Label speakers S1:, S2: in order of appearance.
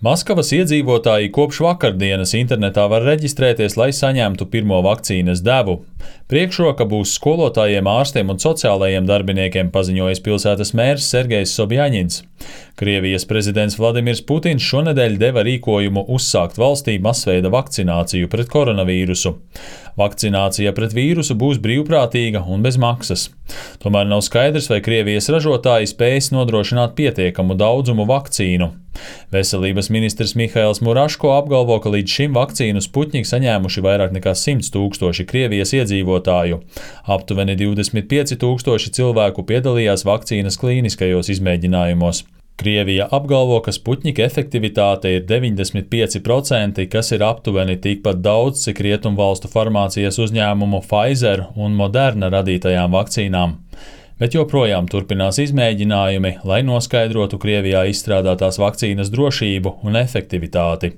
S1: Maskavas iedzīvotāji kopš vakardienas internetā var reģistrēties, lai saņemtu pirmo vakcīnas devu. Priekšroka būs skolotājiem, ārstiem un sociālajiem darbiniekiem, paziņojis pilsētas mērs Sergejs Sobjaņins. Krievijas prezidents Vladimirs Putins šonedēļ deva rīkojumu uzsākt valstī masveida vakcināciju pret koronavīrusu. Vakcinācija pret vīrusu būs brīvprātīga un bez maksas. Tomēr nav skaidrs, vai Krievijas ražotāji spēs nodrošināt pietiekamu daudzumu vakcīnu. Veselības ministrs Mihails Muraško apgalvo, ka līdz šim vakcīnu Sputņik saņēmuši vairāk nekā 100 000 Krievijas iedzīvotāju. Aptuveni 25 000 cilvēku piedalījās vakcīnas klīniskajos izmēģinājumos. Krievija apgalvo, ka Sputņika efektivitāte ir 95%, kas ir aptuveni tikpat daudz, cik Rietumvalstu farmācijas uzņēmumu Pfizer un Moderna radītajām vakcīnām. Bet joprojām turpinās izmēģinājumi, lai noskaidrotu Krievijā izstrādātās vakcīnas drošību un efektivitāti.